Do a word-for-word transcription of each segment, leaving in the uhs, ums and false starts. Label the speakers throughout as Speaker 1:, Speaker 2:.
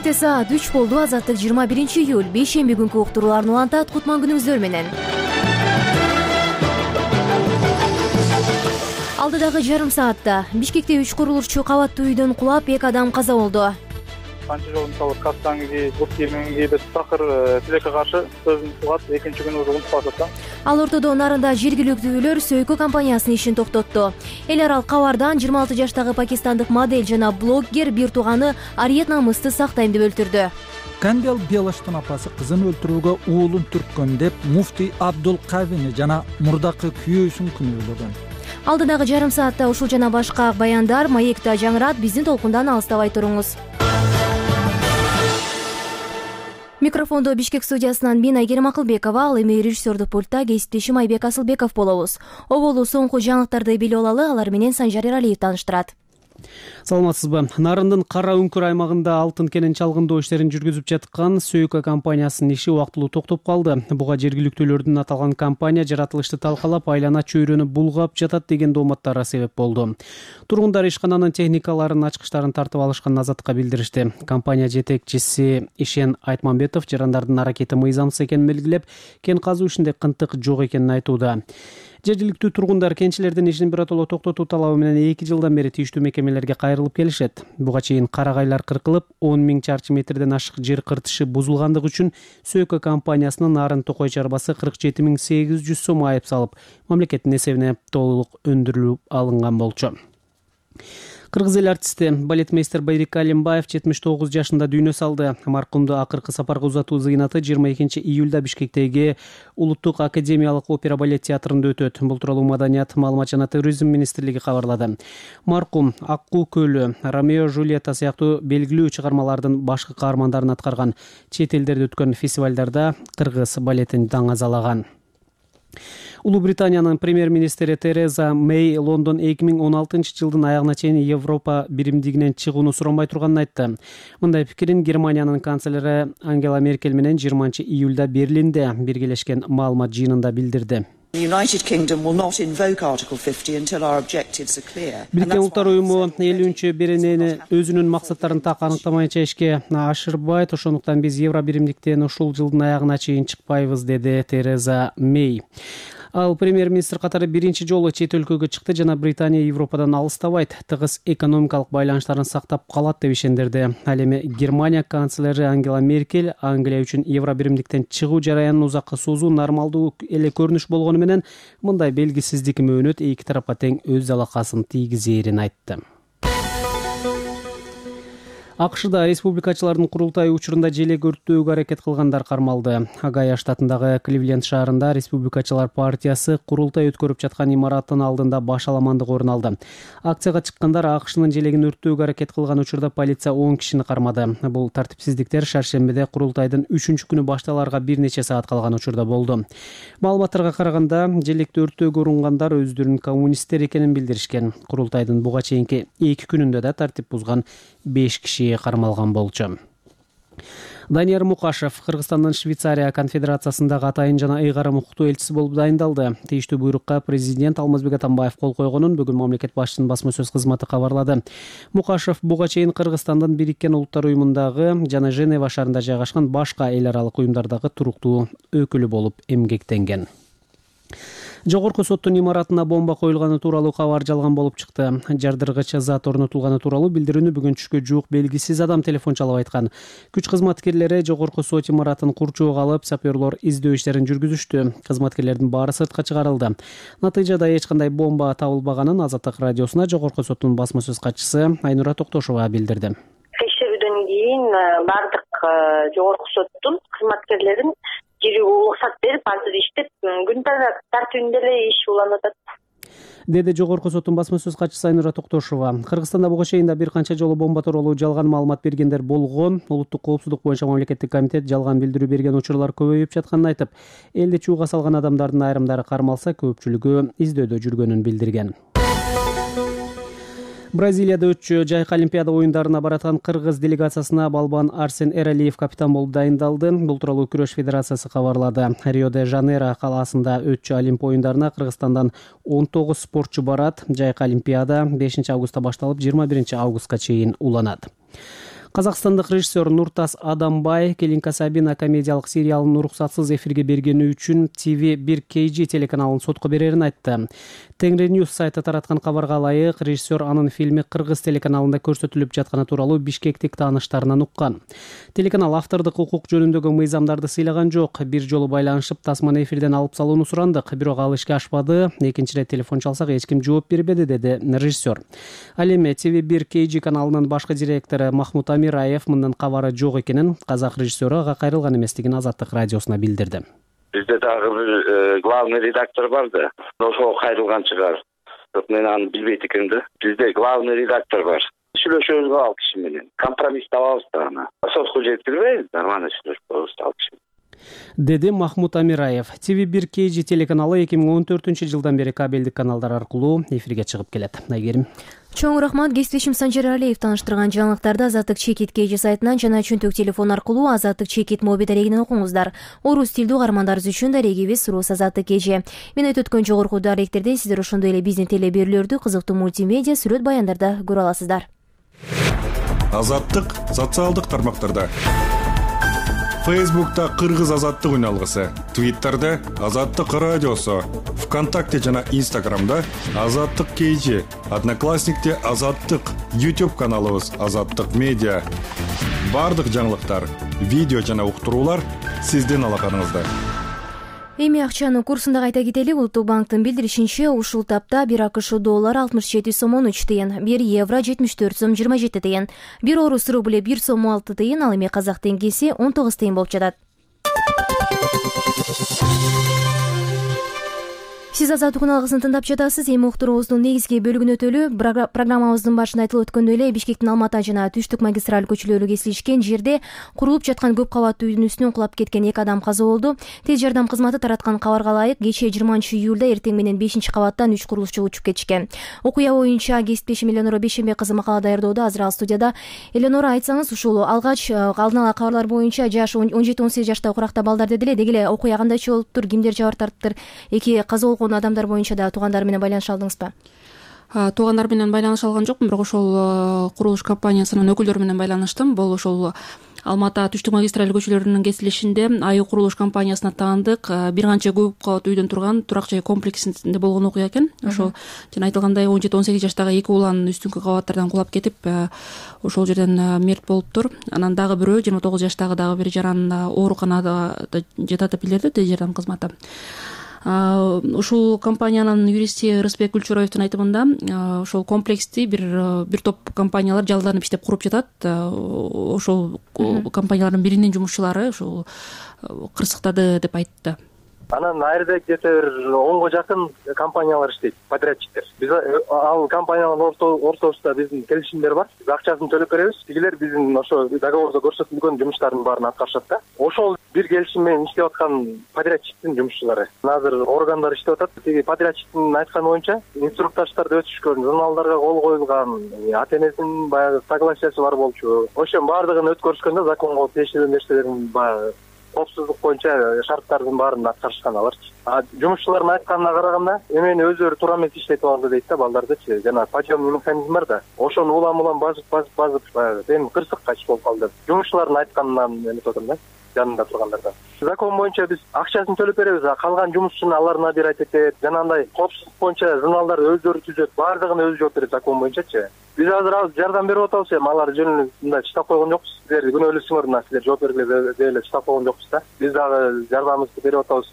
Speaker 1: Кечте саат үч болду. Азаттык жыйырма биринчи июль бейшемби күнкү уктурууларын улантат. Кутман күнүңүздөр менен. Алдыдагы жарым саатта Бишкекте үч курулушчу кабаттуу үйдөн кулап, эки адам каза болду.
Speaker 2: Канча жолу мисалы Кастанги, Буркеминги деп такыр тилекке каршы сөзүн сугат, экинчи күнү уже унутуп калышат да.
Speaker 1: Ал ортодо нарында жергиликтүүлөр Сөйкө компаниясынын ишин токтотту. Эл аралык кабардан жыйырма алты жаштагы пакистандык модель жана блогер бир тууганы Ариет намысты сактайм деп өлтүрдү.
Speaker 3: Кандел Белаштын апасы кызын өлтүрүүгө уулун түрткөн деп муфтий Абдул Кавини жана мурдакы күйөөсүн күнөөлөгөн.
Speaker 1: Алдыдагы жарым саатта ушул жана башка баяндар маекте жаңырат. Биздин толкундан алыстабай туруңуз. Микрофондо Бишкек студиясынан мен Айгерим Акылбекова, ал эми режиссердук пультта кесиптешим Айбек Асылбеков болобуз. Оболу соңку жаңылыктарды билип алалы, алар менен Санжар Эралиев тааныштырат.
Speaker 4: Саламатсызбы? Нарындын Кара Үңкүр аймагында алтын кенен чалгындоо иштерин жүргүзүп жаткан Сөйкө компаниясынын иши убактылуу токтоп калды. Буга жергиликтүүлөрдүн аталган компания жаратылышты талкалап, айлана чөйрөнү булгап жатат деген дооматтары себеп болду. Тургундар ишкананын техникаларын, ачкычтарын тартып алышкан Азаттыкка билдиришти. Компания жетекчиси Ишен Айтмамбетов жарандардын аракети мыйзамсыз экенин белгилеп, кен казуу ишинде кынтык жок экенин айтууда. Жергиликтүү тургундар кенчилердин ишин биротоло токтотуу талабы менен эки жылдан бери тийиштүү мекемелерге кайрылып келишет. Буга чейин карагайлар кыркылып, он миң чарчы метрден ашык жер кыртышы бузулгандыгы үчүн Сөйкө компаниясынын Нарын Токой чарбасы кырк жети миң сегиз жүз сом айып салып, мамлекеттин эсебине толук өндүрүлүп алынган болчу. Кыргыз эл артисти балетмейстер Байрик Алимбаев жетимиш тогуз жашында дүйнө салды. Маркумду акыркы сапарга узатуу зыйнаты жыйырма экинчи июлда Бишкектеги Улуттук академиялык опера балет театрында өтөт. Бул тууралуу Маданият, маалымат жана туризм министрлиги кабарлады. Маркум Аккуу көлү, Ромео Жулиетта сыяктуу белгилүү чыгармалардын башкы каармандарын аткарган. Чет элдерде өткөн фестивалдарда кыргыз балетин даңазалаган. Улуу Британиянын премьер-министри Тереза Мэй Лондон эки миң он алтынчы жылдын аягына чейин Европа биримдигинен чыгууну суранбай турганын айтты. Мындай пикирин Германиянын канцлери Ангела Меркель менен жыйырманчы июлда Берлинде биргелешкен маалымат жыйынында билдирди. Бириккен Улуттар уюму элүүнчү беренени өзүнүн максаттарын так аныктамайынча ишке ашырбайт. Ошондуктан биз евро биримдиктен ушул жылдын аягына чейин чыкпайбыз, деди Тереза Мэй. Ал премьер-министр катары биринчи жолу чет өлкөгө чыкты жана Британия Европадан алыстабайт, тыгыз экономикалык байланыштарын сактап калат деп ишендирди. Ал эми Германия канцлери Ангела Меркель Англия үчүн евро биримдиктен чыгуу жараянын узакка созуу нормалдуу эле көрүнүш болгону менен мындай белгисиздик мөөнөт эки тарапка тең өз залакасын тийгизээрин айтты. АКШда республикачылардын курултайы учурунда желек өрттөөгө аракет кылгандар кармалды. Огайо штатындагы Кливленд шаарында республикачылар партиясы курултай өткөрүп жаткан имараттын алдында баш аламандык орун алды. Акцияга чыккандар АКШнын желегин өрттөөгө аракет кылган учурда полиция он кишини кармады. Бул тартипсиздиктер шаршембиде курултайдын үчүнчү күнү башталарга бир нече саат калган учурда болду. Маалыматтарга караганда, желекти өрттөөгө урунгандар өздөрүнүн коммунисттер экенин билдиришкен. Курултайдын буга чейинки эки күнүндө да тартип бузган беш киши кармалган болчу. Данияр Мукашев Кыргызстандын Швейцария конфедерациясындагы атайын жана ыйгарым укуктуу элчиси болуп дайындалды. Тийиштүү буйрукка президент Алмазбек Атамбаев кол койгонун бүгүн мамлекет башчысынын басма сөз кызматы кабарлады. Мукашев буга чейин Кыргызстандын Бириккен Улуттар уюмундагы жана Женева шаарында жайгашкан башка эл аралык уюмдардагы туруктуу өкүлү болуп эмгектенген. Жогорку соттун имаратына бомба коюлганы тууралуу кабар жалган болуп чыкты. Жардыргыч зат орнотулганы тууралуу билдирүүнү бүгүн түшкө жуук белгисиз адам телефон чалып айткан. Күч кызматкерлери жогорку сот имаратын курчоого алып, саперлор издөө иштерин жүргүзүштү. Кызматкерлердин баары сыртка чыгарылды. Натыйжада эч кандай бомба табылбаганын Азаттык радиосуна жогорку соттун басма сөз катчысы Айнура Токтошова билдирди.
Speaker 5: Текшерүүдөн кийин бардык жогорку соттун кызматкерлерин жирүүгө уруксат берип, азыр иштеп, күн тартибинде эле иш уланып атат,
Speaker 4: деди жогорку соттун басма сөз катчысы Айнура Токтошова. Кыргызстанда буга чейин да бир канча жолу бомба тууралуу жалган маалымат бергендер болгон. Улуттук коопсуздук боюнча мамлекеттик комитет жалган билдирүү берген учурлар көбөйүп жатканын айтып, элди чууга салган адамдардын айрымдары кармалса, көпчүлүгү издөөдө жүргөнүн билдирген. Бразилияда өтчү жайкы олимпиада оюндарына бараткан кыргыз делегациясына балбан Арсен Эралиев капитан болуп дайындалды. Бул тууралуу күрөш федерациясы кабарлады. Рио-де-Жанейро калаасында өтчү Олимп оюндарына Кыргызстандан он тогуз спортчу барат. Жайкы олимпиада бешинчи августта башталып, жыйырма биринчи августка чейин уланат. Казакстандык режиссер Нуртас Адамбай Келинка Сабина комедиялык сериалын уруксатсыз эфирге бергени үчүн ти ви бир кей джи телеканалын сотко берерин айтты. Теңри Ньюс сайты тараткан кабарга ылайык, режиссер анын фильми Кыргыз телеканалында көрсөтүлүп жатканы тууралуу бишкектик тааныштарынан уккан. Телеканал автордук укук жөнүндөгү мыйзамдарды сыйлаган жок. Бир жолу байланышып тасманы эфирден алып салууну сурандык, бирок ал ишке ашпады. Экинчи ирет телефон чалсак эч ким жооп бербеди, деди режиссер. Ал эми ти ви бир кей джи каналынын башкы директору Махмут Амираев мындан кабары жок экенин, казак режиссеру ага кайрылган эместигин Азаттык радиосуна билдирди.
Speaker 6: Бизде дагы бир главный редактор бар да, ошого кайрылган чыгар. Бирок мен аны билбейт экенмин да. Бизде главный редактор бар. Сүйлөшөбүз ал киши менен. Компромисс табабыз да аны. Сотко жеткирбейбиз, нормально сүйлөшүп коебуз ал киши.
Speaker 4: Деди Махмут Амираев. ти ви бир кей джи телеканалы эки миң он төртүнчү жылдан бери кабелдик каналдар аркылуу эфирге чыгып келет. Айгерим.
Speaker 1: Чоң рахмат. Кесиптешим Санжар Алиев тааныштырган жаңылыктарды Азаттык Чекит кей джи сайтынан жана чөнтөк телефон аркылуу Азаттык Чекит моби дарегинен окуңуздар. Орус тилдүү каармандарыбыз үчүн дарегибиз Рус Азаттык кей джи. Мен өткөн жогорку даректерде сиздер ошондой эле биздин теле берүүлөрдү кызыктуу мультимедиа сүрөт баяндарда көрө аласыздар.
Speaker 7: Азаттык социалдык тармактарда. Фейсбукта Кыргыз Азаттык үналгысы, Твиттерде Азаттык радиосу, ВКонтакте жана Инстаграмда Азаттык кей джи, Одноклассникте Азаттык, YouTube каналыбыз Азаттык медиа. Бардык жаңылыктар, видео жана уктуруулар сиздин алаканыңызда.
Speaker 1: Эми акчанын курсунда кайта кетели. Улуттук банктын билдиришинче, ушул тапта бир акш доллар алтымыш жети сом он үч тыйын, бир евро жетимиш төрт сом жыйырма жети тыйын, бир орус рубль бир сом алты тыйын, ал эми казак теңгеси он тогуз тыйын болуп жатат. Сиз Азаттык үналгысын тыңдап жатасыз. Эми уктуруубуздун негизги бөлүгүнө өтөлү. Программабыздын башында айтылып өткөндөй эле, Бишкектин Алматы жана Түштүк магистраль көчөлөрү кесилишкен жерде курулуп жаткан көп кабаттуу үйдүн үстүнөн кулап кеткен эки адам каза болду. Тез жардам кызматы тараткан кабарга ылайык, кечээ жыйырманчы июлда эртең менен бешинчи кабаттан үч курулушчу учуп кетишкен. Окуя боюнча кесиптешим Эленора Бейшембек кызы макала даярдоодо. Азыр ал студияда. Эленора, айтсаңыз, ушул алгач алдын ала кабарлар боюнча жаш он жети он сегиз жаштагы куракта балдар дедиле. Деги эле окуя кандайча болуптур, кимдер жабыр тарттыр? Эки каза болгон адамдар боюнча да туугандар менен байланыша алдыңызбы?
Speaker 8: Туугандар менен байланыша алган жокмун, бирок ошол курулуш компаниясынын өкүлдөрү менен байланыштым. Бул ошол Алматы Түштүк магистраль көчөлөрүнүн кесилишинде айы курулуш компаниясына таандык бир канча көп кабат үйдөн турган турак жай комплексинде болгон окуя экен. Ошол жана айтылгандай он жети он сегиз жаштагы эки улан үстүнкү кабаттардан кулап кетип, ошол жерден мерт болуптур. Анан дагы бирөө жыйырма тогуз жаштагы дагы бир жаран ооруканада жатат деп билдирди тез жардам кызматы. Ушул компаниянын юристи Рысбек Гүлчураевдин айтымында, ошол комплексти бир бир топ компаниялар жалданып иштеп куруп жатат. Ошол компаниялардын биринин жумушчулары ушул кырсыктады деп айтты.
Speaker 2: Анан айрда где-то бир онго жакын компаниялар иштейт, подрядчиктер. Биз ал компаниялардын ортосунда биздин келишимдер бар. Биз акчасын төлөп беребиз. Тигилер биздин ошо договордо көрсөтүлгөн жумуштардын баарын аткарышат да. Ошол бир келишим менен иштеп аткан подрядчиктин жумушчулары. Азыр органдар иштеп атат. Тиги подрядчиктин айтканы боюнча инструктаждарды өтүшкөн, журналдарга кол коюлган, ата энесинин баягы согласиясы бар болчу. Ошонун баардыгын өткөрүшкөндө законго тиешелүү нерселердин баягы коопсуздук боюнча шарттардын баарын аткарышкан аларчы. Жумушчулардын айтканына караганда, эмени өзүлөрү туура эмес иштетип алды дейт да, балдардычы. Жана подъемный механизм бар да. Ошону улам-улам базып базып базып баягы эми кырсыкка иш болуп калды. Жумушчулардын айтканынан эметип атам да, жанында тургандардан. Закон боюнча биз акчасын төлөп беребиз, а калган жумушчуну алар набирать этет. Жанагындай коопсуздук боюнча журналдарды өздөрү түзөт, баардыгын өзү жооп берет закон боюнчачы. Биз азыр ал жардам берип атабыз, эми алар жөнүндө мындай чыдап койгон жокпуз. Силер күнөөлүүсүңөр мына, силер жооп бергиле деп эле чыдап койгон жокпуз да. Биз дагы жардамыбызды берип атабыз.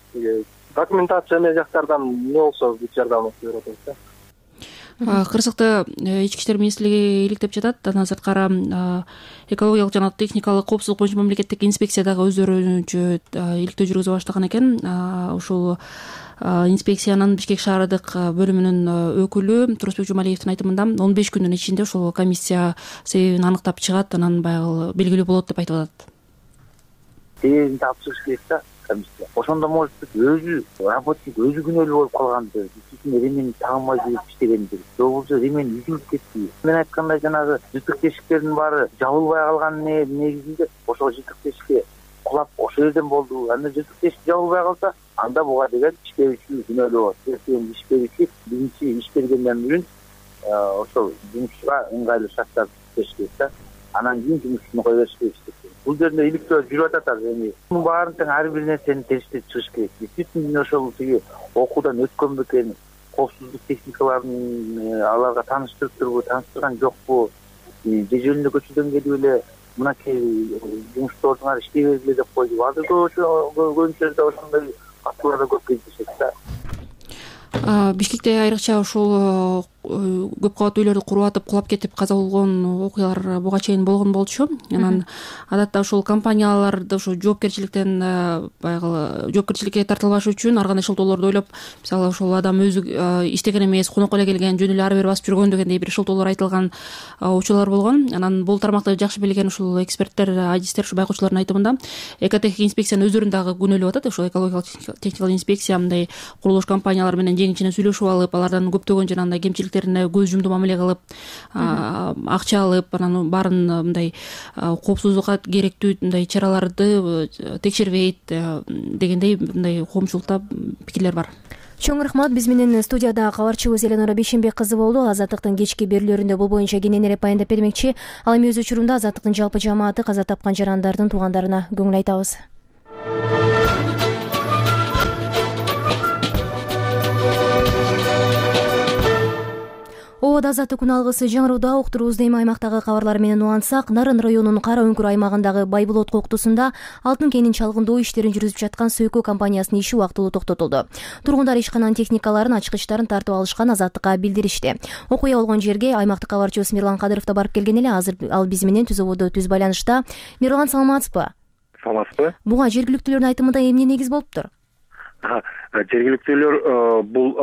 Speaker 2: Документация эмне жактардан эмне болсо биз жардамыбызды берип атабыз да.
Speaker 8: Кырсыкты ички иштер министрлиги иликтеп жатат. Андан сырткары экологиялык жана техникалык коопсуздук боюнча мамлекеттик инспекция дагы өздөрүнчө иликтөө жүргүзүп баштаган экен. Ушул инспекциянын Бишкек шаардык бөлүмүнүн өкүлү Турусбек Жумалиевдин айтымында он беш күндүн ичинде ошол комиссия себебин аныктап чыгат, анан баягы белгилүү болот деп айтып атат.
Speaker 9: Себебин тапшырыш керек да комиссия. Ошондо может өзү работник өзү күнөөлүү болуп калгандыр. Ремени тагынбай жүрүп иштегендир. Же болбосо ремени үзүлүп кетти. Мен айткандай жанагы жытык тешиктердин баары жабылбай калган негизинде ошол жытык тешикке кулап ошол жерден болду. Анда жытык тешик жабылбай калса, анда буга деген иш берүүчү күнөөлүү болот. Эртең иш берүүчү биринчи иш бергенден кийин ошол жумушчуга ыңгайлуу шарттарды түзүш керек да. анан кийин жумушун кое бериш керек деп. Бул жерде иликтөө жүрүп атат азыр. Эми мунун баарын тең ар бир нерсени териштирип чыгыш керек. Действительно ошол тиги окуудан өткөн бекен, коопсуздук техникаларын аларга тааныштырып турбу, тааныштырган жокпу, же жөнүндө көчөдөн келип эле мынакей жумуштардыңар иштей бергиле деп койду. Азыр көбүнчө жерде ошондой фактылар да көп кездешет да.
Speaker 8: Бишкекте айрыкча ушул көп кабаттуу үйлөрдү куруп атып кулап кетип каза болгон окуялар буга чейин болгон болчу. Анан адатта ушул компанияларды ушу жоопкерчиликтен баягы жоопкерчиликке тартылбаш үчүн ар кандай шылтоолорду ойлоп, мисалы ошол адам өзү иштеген эмес, конокко эле келген, жөн эле ары бери басып жүргөн дегендей бир шылтоолор айтылган учурлар болгон. Анан бул тармакты жакшы билген ушул эксперттер, адистер, ушу байкоочулардын айтымында экотехник инспекциянын өздөрүн дагы күнөөлөп атат. Ошол экологиялык техникалык инспекция мындай курулуш компаниялар менен жеңичинен сүйлөшүп алып, алардан көптөгөн жанагындай кемчиликтерине көз жумду мамиле кылып, акча алып, анан баарын мындай коопсуздукка керектүү мындай чараларды текшербейт дегендей мындай коомчулукта пикирлер бар.
Speaker 1: Чоң рахмат. Биз менен студияда кабарчыбыз Эленора Бейшенбек кызы болду. Азаттыктын кечки берүүлөрүндө бул боюнча кененирээк баяндап бермекчи. Ал эми өз учурунда Азаттыктын жалпы жамааты каза тапкан жарандардын туугандарына көңүл айтабыз. Обод азаттык күн алгысы жаңырууда уктуруубузду эми аймактагы кабарлар менен улантсак, Нарын районунун Кара Үңкүр аймагындагы Байбулот коктусунда алтын кенин чалгындоо иштерин жүргүзүп жаткан Сөйкө компаниясынын иши убактылуу токтотулду. Тургундар ишкананын техникаларын, ачкычтарын тартып алышкан, азаттыкка билдиришти. Окуя болгон жерге аймактык кабарчыбыз Мирлан Кадыров да барып келген эле. Азыр ал биз менен түз ободо түз байланышта. Мирлан, саламатсызбы?
Speaker 10: Саламатсызбы.
Speaker 1: Буга жергиликтүүлөрдүн айтымында эмне негиз болуптур?
Speaker 10: Жергиликтүүлөр бул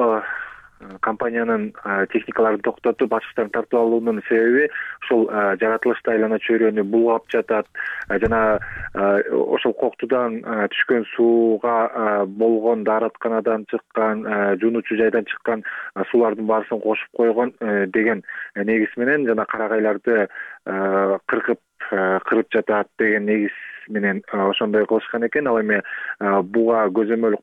Speaker 10: компаниянын техникаларын токтотуп, ачкычтарын тартып алуунун себеби ушул жаратылышта айлана чөйрөнү булгап жатат жана ошол коктудан түшкөн сууга болгон дааратканадан чыккан, жуунуучу жайдан чыккан суулардын баарысын кошуп койгон деген негиз менен жана карагайларды кыркып кырып жатат деген негиз менен ошондой кылышкан экен. Ал эми буга көзөмөл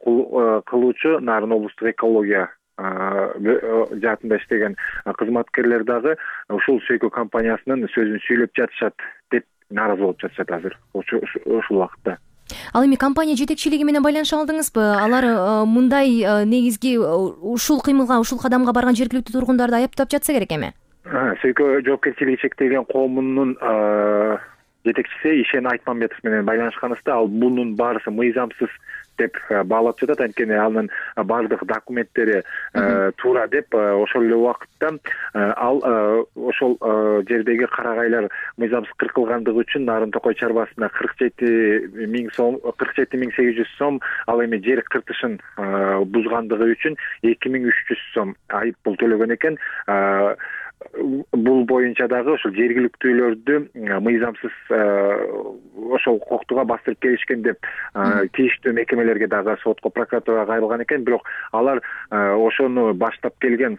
Speaker 10: кылуучу Нарын облустук экология жаатында иштеген кызматкерлер дагы ушул Сөйкө компаниясынын сөзүн сүйлөп жатышат деп нааразы болуп жатышат азыр ушул убакытта.
Speaker 1: Ал эми компания жетекчилиги менен байланыша алдыңызбы? Алар мындай негизги ушул кыймылга, ушул кадамга барган жергиликтүү тургундарды аяптап жатса керек эми?
Speaker 10: Сөйкө жоопкерчилиги чектелген коомунун жетекчиси Ишен Айтмамбетов менен байланышканыбызда ал бунун баарысы мыйзамсыз деп баалап жатат. Анткени анын баардык документтери туура деп, ошол эле убакытта ал ошол жердеги карагайлар мыйзамсыз кыркылгандыгы үчүн Нарын Токой чарбасына кырк жети миң сом, кырк жети миң сегиз жүз сом, ал эми жер кыртышын бузгандыгы үчүн эки миң үч жүз сом айып пул төлөгөн экен. Бул боюнча дагы ошол жергиликтүүлөрдү мыйзамсыз ошол коктуга бастырып келишкен деп тийиштүү мекемелерге дагы сотко, прокуратурага кайрылган экен. Бирок алар ошону баштап келген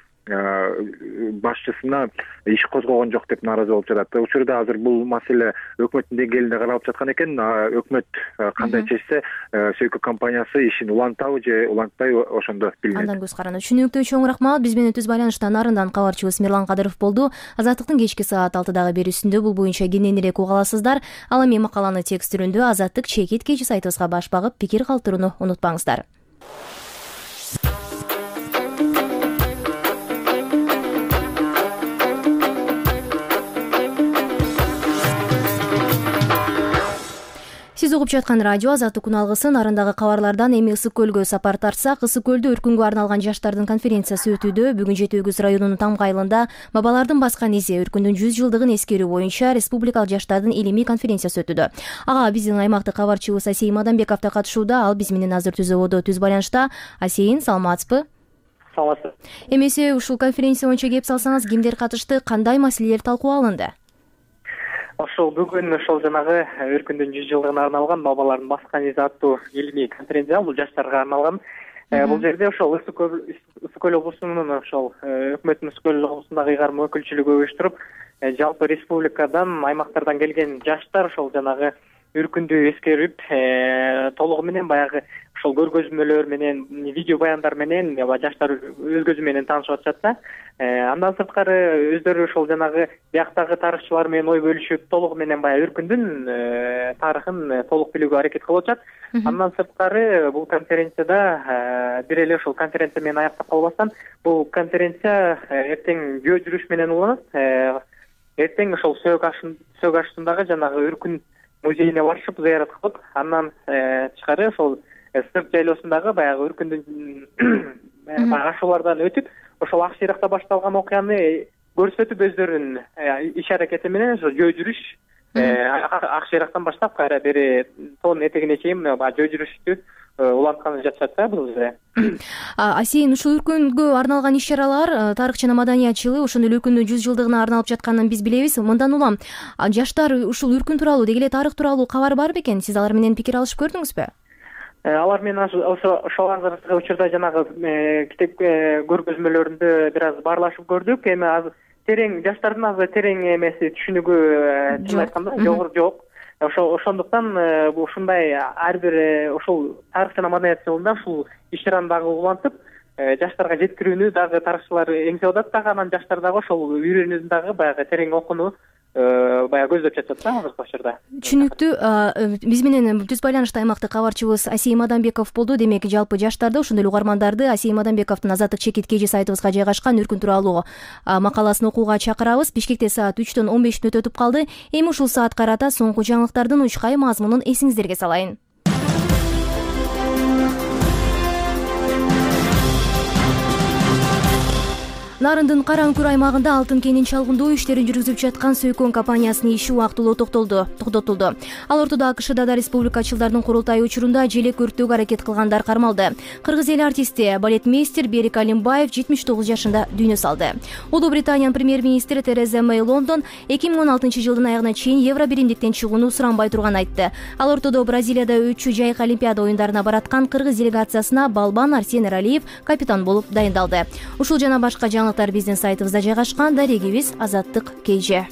Speaker 10: башчысына иш козгогон жок деп нааразы болуп жатат. Учурда азыр бул маселе өкмөттүн деңгээлинде каралып жаткан экен. Өкмөт кандай чечсе, Сөйкө компаниясы ишин улантабы же улантпайбы, ошондо билинет.
Speaker 1: Андан көз каранды. Түшүнүктүү, чоң рахмат. Биз менен түз байланышта Нарындан кабарчыбыз Мирлан Кадыров болду. Азаттыктын кечки саат алтыдагы берүүсүндө бул боюнча кененирээк уга аласыздар. Ал эми макаланы текст түрүндө Азаттык чекит кечи сайтыбызга баш багып пикир калтырууну унутпаңыздар. Сиз угуп жаткан радио Азаттык күн алгысы. Нарындагы кабарлардан эми Ысык көлгө сапар тартсак, Ысык көлдө өркүнгө арналган жаштардын конференциясы өтүүдө. Бүгүн Жети Өгүз районунун Тамга айылында бабалардын баскан изи өркүндүн жүз жылдыгын эскерүү боюнча республикалык жаштардын илимий конференциясы өтүүдө. Ага биздин аймактык кабарчыбыз Асейин Мадамбеков да катышууда. Ал биз менен азыр түз ободо түз байланышта. Асейин, саламатсызбы?
Speaker 11: Саламатсыз.
Speaker 1: Эмесе ушул конференция боюнча кеп салсаңыз, кимдер катышты, кандай маселелер талкуу алынды?
Speaker 11: Ошол бүгүн ошол жанагы өркүндүн жүз жылдыгына арналган бабалардын баскан изи аттуу илимий конференция, бул жаштарга арналган. Бул жерде ошол Ысык көл облусунун ошол өкмөттүн Ысык көл облусундагы ыйгарым өкүлчүлүгү уюштуруп, жалпы республикадан, аймактардан келген жаштар ошол жанагы өркүндү эскерип, толугу менен баягы ошол көргөзмөлөр менен, видео баяндар менен жаштар өз көзү менен таанышып атышат да. Андан сырткары өздөрү ошол жанагы бияктагы тарыхчылар менен ой бөлүшүп, толугу менен баягы Үркүндүн тарыхын толук билүүгө аракет кылып атышат. Андан сырткары бул конференцияда бир эле ошол конференция менен аяктап калбастан, бул конференция эртең жөө жүрүш менен уланат. Эртең ошол Сөк ашындагы жанагы Үркүн музейине барышып, зыярат кылып, андан тышкары ошол Сырт жайлоосундагы баягы Үркүндүн ашуулардан өтүп, ошол ак шыйракта башталган окуяны көрсөтүп, өздөрүнүн иш аракети менен ошо жөө жүрүш ак шыйрактан баштап кайра бери тоонун этегине чейин жөө жүрүштү улантканы жатышат да бул жерде.
Speaker 1: Асейин, ушул Үркүнгө арналган иш-чаралар тарых жана маданият жылы, ошондой эле Үркүндүн жүз жылдыгына арналып жатканын биз билебиз. Мындан улам жаштар ушул Үркүн тууралуу, деги эле тарых тууралуу кабар бар бекен? Сиз алар менен пикир алышып көрдүңүзбү?
Speaker 11: Алар менен ошол азыркы учурда жанагы китеп көргөзмөлөрүндө бир аз баарлашып көрдүк. Эми азыр терең жаштардын азыр терең эмеси түшүнүгү чын айтканда жогору жок. Ошондуктан ушундай ар бир ошол тарых жана маданият жылында ушул иш-чараны дагы улантып, жаштарга жеткирүүнү дагы тарыхчылар эңсеп атат дагы, анан жаштар дагы ошол үйрөнүүнү дагы баягы терең окууну баягы көздөп жатышат да азыркы учурда.
Speaker 1: Түшүнүктүү. Биз менен түз байланышта аймактык кабарчыбыз Асей Мадамбеков болду. Демек, жалпы жаштарды, ошондой эле угармандарды Асей Мадамбековдун Азаттык чекит кж сайтыбызга жайгашкан Үркүн тууралуу макаласын окууга чакырабыз. Бишкекте саат үчтөн он беш мүнөт өтүп калды. Эми ушул саат карата соңку жаңылыктардын учкай мазмунун эсиңиздерге салайын. Нарындын Кара Үңкүр аймагында алтын кенин чалгындоо иштерин жүргүзүп жаткан Сөйкөн компаниясынын иши убактылуу токтотулду. Ал ортодо АКШда да республикачылардын курултайы учурунда желек өрттөөгө аракет кылгандар кармалды. Кыргыз эл артисти, балетмейстер Берик Алимбаев жетимиш тогуз жашында дүйнө салды. Улуу Британиянын премьер-министри Тереза Мэй Лондон эки миң он алтынчы жылдын аягына чейин евро биримдиктен чыгууну суранбай турганын айтты. Ал ортодо Бразилияда өтчү жайкы Олимпиада оюндарына бараткан кыргыз делегациясына балбан Арсен Эралиев капитан болуп дайындалды. Ушул жана башка жаңы биздин сайтыбызда жайгашкан. Дарегибиз Азаттык кж.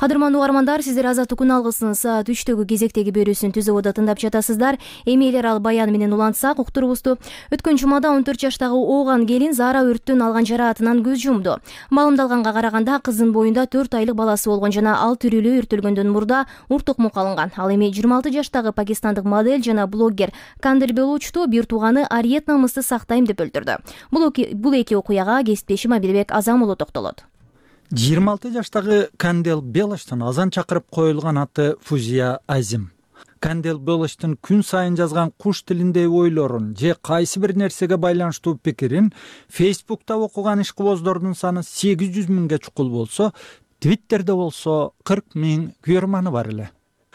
Speaker 1: Кадырмандуу угармандар, сиздер Азаттык күн алгысынын саат үчтөгү кезектеги берүүсүн түзүп ода тыңдап жатасыздар. Эми элер ал баян менен улантсак уктурубузду. Өткөн жумада он төрт жаштагы ооган келин Зара өрттөн алган жараатынан көз жумду. Маалымдалганга караганда кыздын боюнда төрт айлык баласы болгон жана ал тирүүлүгү өртөлгөндөн мурда ур токмок алынган. Ал эми жыйырма алты жаштагы пакистандык модель жана блогер Кандер Белучту бир тууганы Ариет намысты сактайм деп өлтүрдү. Бул эки окуяга кесиптешим Абилбек Азам уулу токтолот.
Speaker 3: жыйырма алты жаштагы Кандел Белочтун азан чакырып коюлган аты Фузия Азим. Кандел Белочтун күн сайын жазган куш тилиндеги ойлорун же кайсы бир нерсеге байланыштуу пикирин Фейсбукта окуган ишкыбоздордун саны сегиз жүз миңге чукул болсо, Твиттерде болсо кырк миң күйөрманы бар эле.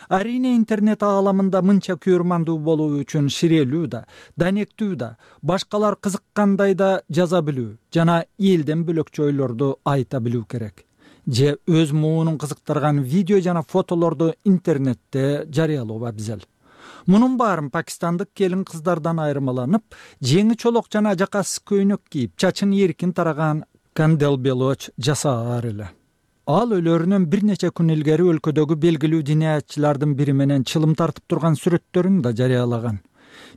Speaker 3: Арине интернет ааламында мынча күйөрмандуу болуу үчүн ширелүү да, данектүү да, башкалар кызыккандай да жаза билүү жана элден бөлөкчө ойлорду айта билүү керек. Же өз муунун кызыктырган видео жана фотолорду интернетте жарыялоо абзел. Мунун баарын пакистандык келин кыздардан айырмаланып, жеңи чолок жана жакасыз көйнөк кийип, чачын эркин тараган Кандел Белоч жасаар эле. Ал өлөрүнөн бир нече күн илгери өлкөдөгү белгилүү диниятчылардын бири менен чылым тартып турган сүрөттөрүн да жарыялаган.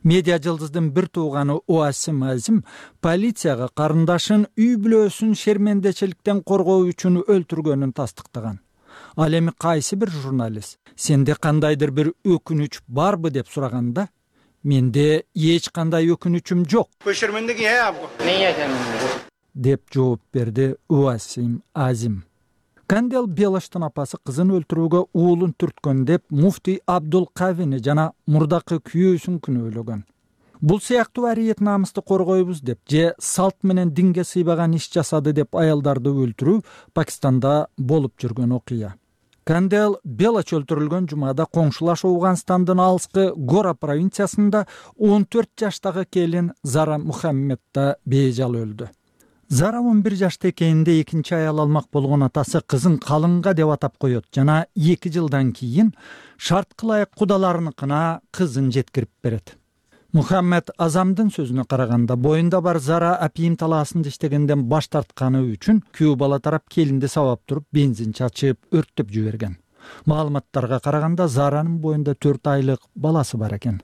Speaker 3: Медиа жылдыздын бир тууганы Уасим Азим полицияга карындашын үй бүлөсүн шермендечиликтен коргоо үчүн өлтүргөнүн тастыктаган. Ал эми кайсы бир журналист сенде кандайдыр бир өкүнүч барбы деп сураганда, менде эч кандай өкүнүчүм жок деп жооп берди Уасим Азим. Кандел Белоштун апасы кызын өлтүрүүгө уулун түрткөн деп муфтий Абдул Кавини жана мурдакы күйөөсүн күнөөлөгөн. Бул сыяктуу Ариет намысты коргойбуз деп же салт менен динге сыйбаган иш жасады деп аялдарды өлтүрүү Пакистанда болуп жүргөн окуя. Кандел Белоч өлтүрүлгөн жумада коңшулаш Ауганстандын алыскы Гора провинциясында он төрт жаштагы келин Зара Мухаммедда бейжал өлдү. Зара он бир жашта экенинде экинчи аял алмак болгон атасы кызын калыңга деп атап коет жана эки жылдан кийин шартка ылайык кудаларыныкына кызын жеткирип берет. Мухаммед Азамдын сөзүнө караганда, боюнда бар Зара апийим талаасында иштегенден баш тартканы үчүн күйөө бала тарап келинди сабап туруп бензин чачып өрттөп жиберген. Маалыматтарга караганда Заранын боюнда төрт айлык баласы бар экен.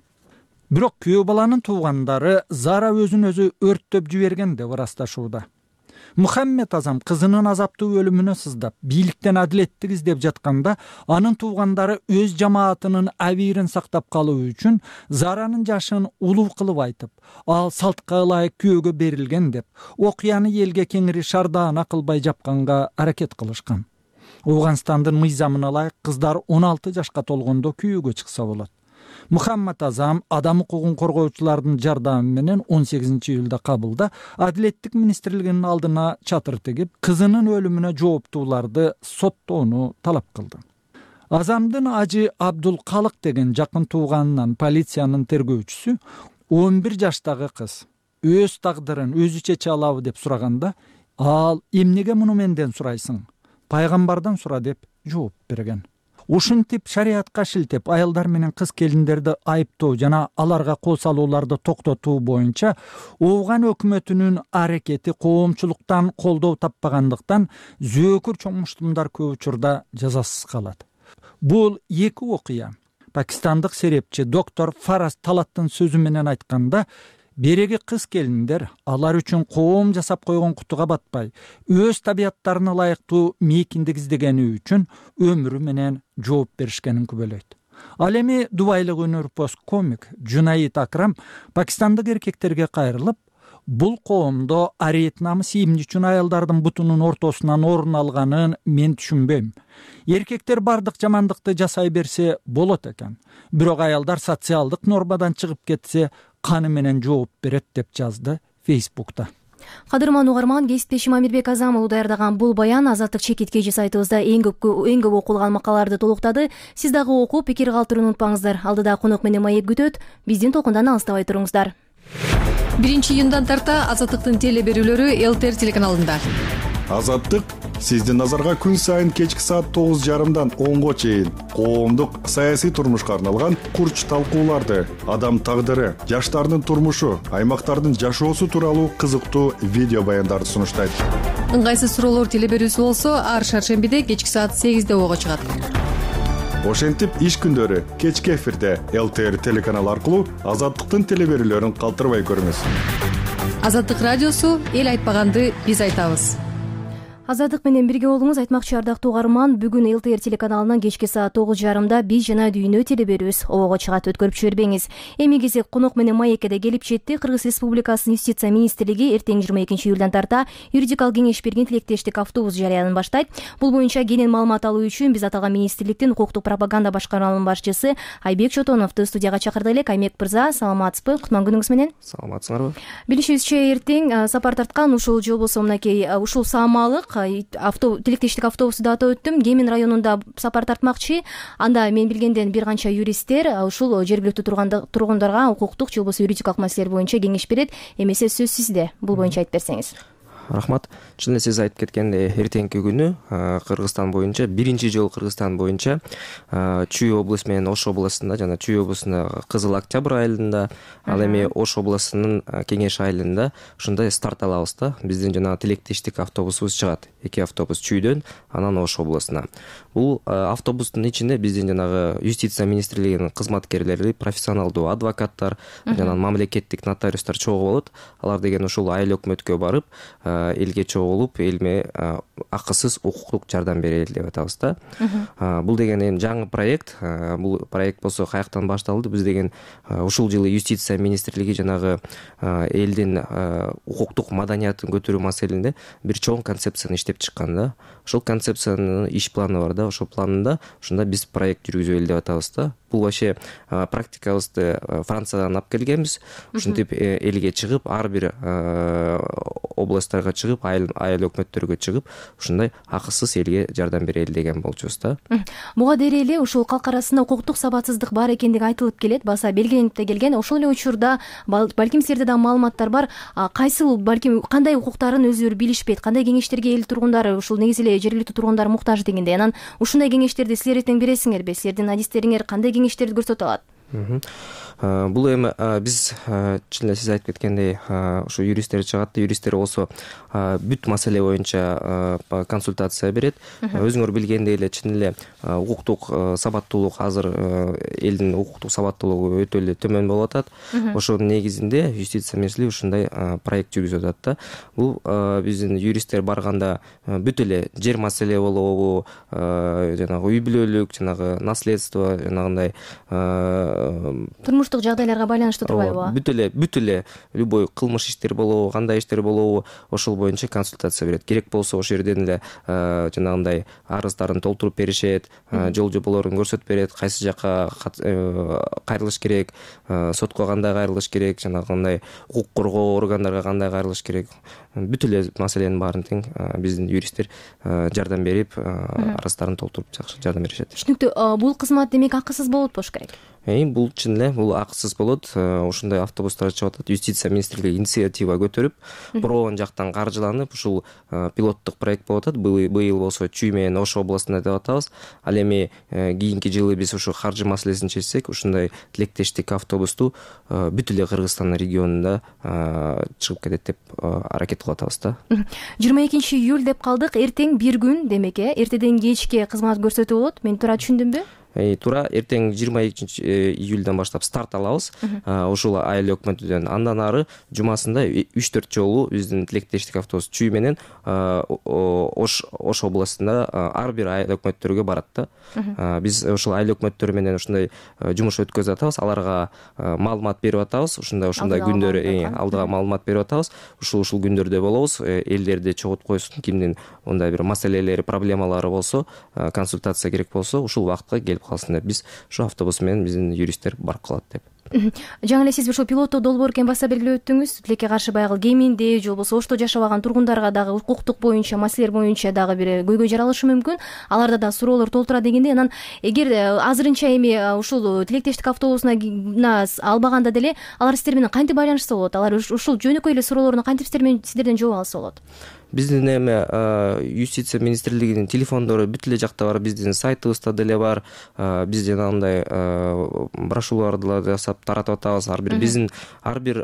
Speaker 3: Бирок күйөө баланын туугандары Зара өзүн өзү өрттөп жиберген деп ырасташууда. Мухаммед Азам кызынын азаптуу өлүмүнө сыздап, бийликтен адилеттик издеп жатканда, анын туугандары өз жамаатынын абийирин сактап калуу үчүн Заранын жашын улуу кылып айтып, ал салтка ылайык күйөөгө берилген деп, окуяны элге кеңири шардаана кылбай жапканга аракет кылышкан. Ооганстандын мыйзамына ылайык кыздар он алты жашка толгондо күйөөгө чыкса болот. Мухаммед Азам адам укугун коргоочулардын жардамы менен он сегизинчи июлда Кабулда Адилеттик министрлигинин алдына чатыр тигип, кызынын өлүмүнө жооптууларды соттоону талап кылды. Азамдын ажы Абдул Калык деген жакын тууганынан полициянын тергөөчүсү он бир жаштагы кыз өз тагдырын өзү чече алабы деп сураганда, ал эмнеге муну менден сурайсың? Пайгамбардан сура деп жооп берген. Ушинтип шариатка шилтеп аялдар менен кыз келиндерди айыптоо жана аларга кол салууларды токтотуу боюнча Ооган өкмөтүнүн аракети коомчулуктан колдоо таппагандыктан зөөкүр чоңмуштумдар көп учурда жазасыз калат. Бул эки окуя пакистандык серепчи доктор Фараз Талаттын сөзү менен айтканда, береги кыз келиндер алар үчүн коом жасап койгон кутуга батпай, өз табияттарына ылайыктуу мейкиндик издегени үчүн өмүрү менен жооп беришкенин күбөлөйт. Ал эми дубайлык өнөрпоз комик Жунаид Акрам пакистандык эркектерге кайрылып, бул коомдо ариет намыс эмне үчүн аялдардын бутунун ортосунан орун алганын мен түшүнбөйм. Эркектер бардык жамандыкты жасай берсе болот экен, бирок аялдар социалдык нормадан чыгып кетсе каны менен жооп берет деп жазды Фейсбукта.
Speaker 1: Кадырман угарман, кесиптешим Амирбек Азамов даярдаган бул баян Азаттык чекит кежи сайтыбызда эң көп эң көп окулган макалаларды толуктады. Сиз дагы окуп, пикир калтырууну унутпаңыздар. Алдыда конок менен маек күтөт. Биздин толкундан алыстабай туруңуздар.
Speaker 12: биринчи июндан тарта Азаттыктын теле берүүлөрү ЛТР телеканалында.
Speaker 7: Азаттык сиздин назарга күн сайын кечки саат тогуз жарымдан онго чейин коомдук саясий турмушка арналган курч талкууларды, адам тагдыры, жаштардын турмушу, аймактардын жашоосу тууралуу кызыктуу видео баяндарды сунуштайт.
Speaker 12: Ыңгайсыз суроолор теле берүүсү болсо, ар шаршембиде кечки саат сегизде ого чыгат.
Speaker 7: Ошентип иш күндөрү кечки эфирде ЛТР телеканалы аркылуу Азаттыктын теле берүүлөрүн калтырбай көрүңүз.
Speaker 12: Азаттык радиосу эл айтпаганды биз айтабыз.
Speaker 1: Азаттык менен бирге болуңуз. Айтмакчы ардактуу угарман, бүгүн ЛТР телеканалынан кечки саат тогуз жарымда биз жана дүйнө теле берүүбүз ого чыгат, өткөрүп жибербеңиз. Эми кезек конок менен маекке келип жетти. Кыргыз Республикасынын Юстиция министрлиги эртең жыйырма экинчи июлдан тарта юридикалык кеңеш берген тилектештик автобус жарыянын баштайт. Бул боюнча кенен маалымат алуу үчүн биз аталган министрликтин укуктук пропаганда башкармалынын башчысы Айбек Чотоновду студияга чакырдык элек. Айбек мырза, саламатсызбы? Кутман күнүңүз менен.
Speaker 13: Саламатсыңарбы?
Speaker 1: Билишибизче, эртең сапар тарткан ушул жол болсо мынакей ушул Саамалык авто тилектештик автобусу да атап өттүм. Кемин районунда сапар тартмакчы. Анда мен билгенден бир канча юристтер ушул жергиликтүү тургундарга укуктук же болбосо юридикалык маселелер боюнча кеңеш берет. Эмесе сөз сизде. Бул боюнча айтып берсеңиз.
Speaker 13: Рахмат. Чын эле сиз айтып кеткендей, эртеңки күнү Кыргызстан боюнча биринчи жолу Кыргызстан боюнча Чүй облусу менен Ош областында жана Чүй облусунда Кызыл Октябрь айылында, ал эми Ош облусунун Кеңеш айылында ушундай старт алабыз да. Биздин жана тилектештик автобусубуз чыгат. Эки автобус Чүйдөн, анан Ош облусуна. Бул автобустун ичинде биздин жанагы Юстиция министрлигинин кызматкерлери, профессионалдуу адвокаттар жана мамлекеттик нотариустар чогуу болот. Алар деген ушул айыл өкмөткө барып, элге чогулуп, элме акысыз укуктук жардам берели деп атабыз да. Бул деген эми жаңы проект. Бул проект болсо каяктан башталды? Биз деген ушул жылы Юстиция министрлиги жанагы элдин укуктук маданиятын көтөрүү маселесинде бир чоң концепцияны иштеп чыккан да. Ошол концепциянын иш планы бар да. Ошол планында ушунда биз проект жүргүзөлү деп атабыз да. Бул вообще практикабызды Франциядан алып келгенбиз. Ушинтип элге чыгып, ар бир областтарга чыгып, айыл айыл өкмөттөргө чыгып, ушундай акысыз элге жардам берели деген болчубуз да.
Speaker 1: Буга дейре эле ушул калк арасында укуктук сабатсыздык бар экендиги айтылып келет, баса белгиленип да келген. Ошол эле учурда балким силерде да маалыматтар бар, кайсыл балким кандай укуктарын өздөрү билишпейт, кандай кеңештерге эл тургундары, ушул негизи эле жергиликтүү тургундар муктаж дегендей. Анан ушундай кеңештерди силер эртең бересиңерби? Силердин адистериңер кандай кеңештерди көрсөтө алат?
Speaker 13: Бул эми биз чын эле сиз айтып кеткендей ушу юристтер чыгат. Юристтер болсо бүт маселе боюнча консультация берет. Өзүңөр билгендей эле чын эле укуктук сабаттуулук азыр элдин укуктук сабаттуулугу өтө эле төмөн болуп атат. Ошонун негизинде юстиция министрлиги ушундай проект жүргүзүп атат да. Бул биздин юристтер барганда бүт эле жер маселе болобу, жанагы үй бүлөлүк, жанагы наследство, жанагындай
Speaker 1: турмуштук жагдайларга байланыштуу турбайбы?
Speaker 13: Бүт эле бүт эле любой кылмыш иштер болобу, кандай иштер болобу, ошол боюнча консультация берет. Керек болсо ошол жерден эле жанагындай арыздарын толтуруп беришет, жол жоболорун көрсөтүп берет, кайсы жака кайрылыш керек, сотко кандай кайрылыш керек, жанагындай укук коргоо органдарга кандай кайрылыш керек. Бүт эле маселенин баарын тең биздин юристтер жардам берип, арыздарын толтуруп жакшы жардам беришет.
Speaker 1: Түшүнүктүү. Бул кызмат демек акысыз болот болуш керек?
Speaker 13: Бул чын эле бул акысыз болот. Ушундай автобустар чыгып атат. Юстиция министрлиги инициатива көтөрүп, бирок жактан каржыланып, ушул пилоттук проект болуп атат. Быйыл болсо Чүй менен Ош областында деп атабыз. Ал эми кийинки жылы биз ушу каржы маселесин чечсек, ушундай тилектештик автобусту бүт эле Кыргызстан регионунда чыгып кетет деп аракет кылып атабыз да.
Speaker 1: жыйырма экинчи июль деп калдык. Эртең бир күн демек, э? Эртеден кечке кызмат көрсөтүү болот. Мен туура түшүндүмбү?
Speaker 13: Туура, эртең жыйырма экинчи июльдөн баштап старт алабыз. Ушул айыл өкмөтүнөн андан ары жумасында үч төрт жолу биздин тилектештик автобус Чүй менен Ош Ош областында ар бир айыл өкмөттөргө барат да. Биз ушул айыл өкмөттөрү менен ушундай жумуш өткөзүп атабыз. Аларга маалымат берип атабыз. Ушундай ушундай күндөр алдыга маалымат берип атабыз. Ушул ушул күндөрдө болобуз. Элдерди чогултуп койсун. Кимдин мындай бир маселелери, проблемалары болсо, консультация керек болсо, ушул убакытка келип калсын деп биз ушу автобус менен биздин юристтер барып калат деп.
Speaker 1: Жаңы эле сиз ушул пилоттук долбоор экен баса белгилеп өттүңүз. Тилекке каршы баягы кеминде же болбосо Ошто жашабаган тургундарга дагы укуктук боюнча, маселелер боюнча дагы бир көйгөй жаралышы мүмкүн. Аларда да суроолор толтура дегенде, анан эгер азырынча эми ушул тилектештик автобусуна албаганда деле алар сиздер менен кантип байланышса болот? Алар ушул жөнөкөй эле суроолоруна кантип сиздерден жооп алса болот?
Speaker 13: Биздин эми юстиция министрлигинин телефондору бүт эле жакта бар, биздин сайтыбызда деле бар. Биз жанагындай брошюраларды жасап таратып атабыз. Ар бир биздин ар бир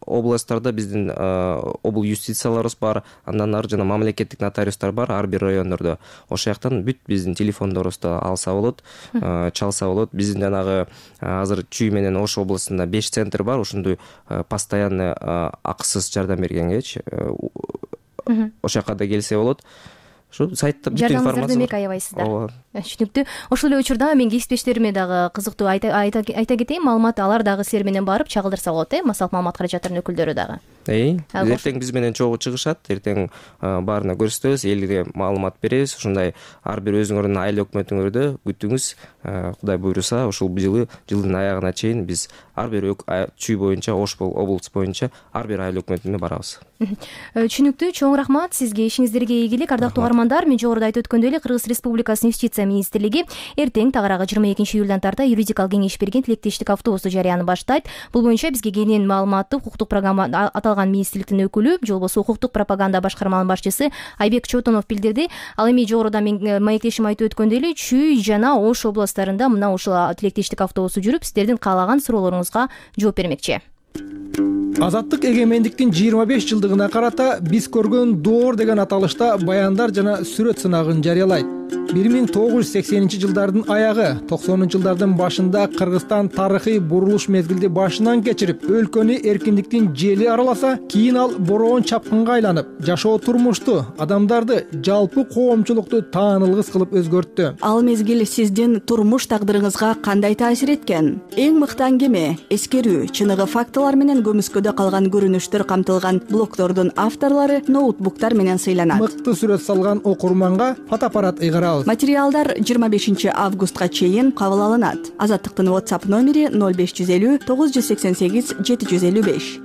Speaker 13: областтарда биздин обл юстицияларыбыз бар. Андан ары жана мамлекеттик нотариустар бар ар бир райондордо. Ошол жактан бүт биздин телефондорубузду алса болот, чалса болот. Биздин жанагы азыр Чүй менен Ош областында беш центр бар. Ушундай постоянный акысыз жардам бергенгечи ошол жака да келсе болот. Ушу сайтта бүт информация бар.
Speaker 1: Демек аябайсыздар. Түшүнүктүү. Ошол эле учурда мен кесиптештериме дагы кызыктуу айта кетейин, маалымат алар дагы силер менен барып чагылдырса болот, э? Массалык маалымат каражаттарынын өкүлдөрү дагы.
Speaker 13: Эртең биз менен чогуу чыгышат. Эртең баарына көрсөтөбүз, элге маалымат беребиз. Ушундай ар бир өзүңөрдүн айыл өкмөтүңөрдө күтүңүз. Кудай буйруса, ушул жылы жылдын аягына чейин биз ар бир Чүй боюнча, Ош облусу боюнча ар бир айыл өкмөтүнө барабыз.
Speaker 1: Түшүнүктүү. Чоң рахмат сизге, ишиңиздерге ийгилик. Ардактуу угармандар, мен жогоруда айтып өткөндөй эле Кыргыз Республикасынын юстиция министрлиги эртең тагыраагы жыйырма экинчи июлдан тарта юридикалык кеңеш берген тилектештик автобусту жарыяны баштайт. Бул боюнча бизге кенен маалыматты укуктук программа аталган министрликтин өкүлү, же болбосо укуктук пропаганда башкарманын башчысы Айбек Чотонов билдирди. Ал эми жогоруда мен маектешим айтып өткөндөй эле Чүй жана Ош областтарында мына ушул тилектештик автобусу жүрүп, сиздердин каалаган суроолоруңузга жооп бермекчи.
Speaker 3: Азаттык эгемендиктин жыйырма беш жылдыгына карата биз көргөн доор деген аталышта баяндар жана сүрөт сынагын жарыялайт. бир миң тогуз жүз сексенинчи жылдардын аягы, токсонунчу жылдардын башында Кыргызстан тарыхый бурулуш мезгилди башынан кечирип, өлкөнү эркиндиктин жели араласа, кийин ал бороон чапкынга айланып, жашоо турмушту, адамдарды, жалпы коомчулукту таанылгыс кылып өзгөрттү.
Speaker 14: Ал мезгил сиздин турмуш тагдырыңызга кандай таасир эткен? Эң мыкты аңгеме, эскерүү, чыныгы фактылар менен көмүскөдө калган көрүнүштөр камтылган блогтордун авторлору ноутбуктар менен сыйланат.
Speaker 3: Мыкты сүрөт салган окурманга фотоаппарат ыйгарабыз.
Speaker 14: Материалдар жыйырма бешинчи августка чейин кабыл алынат. Азаттыктын WhatsApp номери ноль беш жүз элүү тогуз жүз сексен сегиз жети жүз элүү беш.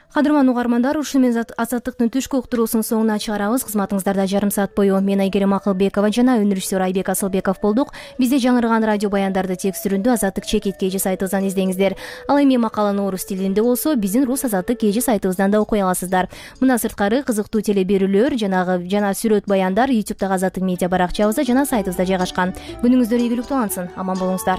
Speaker 1: Кадырман угармандар, ушу менен Азаттыктын түшкү уктуруусунун соңуна чыгарабыз. Кызматыңыздарда жарым саат бою мен Айгерим Акылбекова жана өнүрүшсүр Айбек Асылбеков болдук. Бизде жаңырган радио баяндарды текстүрүндө Азаттык чекит кей жи сайтыбыздан издеңиздер. Ал эми макаланы орус тилинде болсо, биздин Рус Азаттык кей жи сайтыбыздан да окуй аласыздар. Мына сырткары кызыктуу теле берүүлөр жанагы жана сүрөт баяндар ютубтагы Азаттык медиа баракчабызда жана сайтыбызда жайгашкан. Күнүңүздөр ийгиликтүү алынсын. Аман болуңуздар.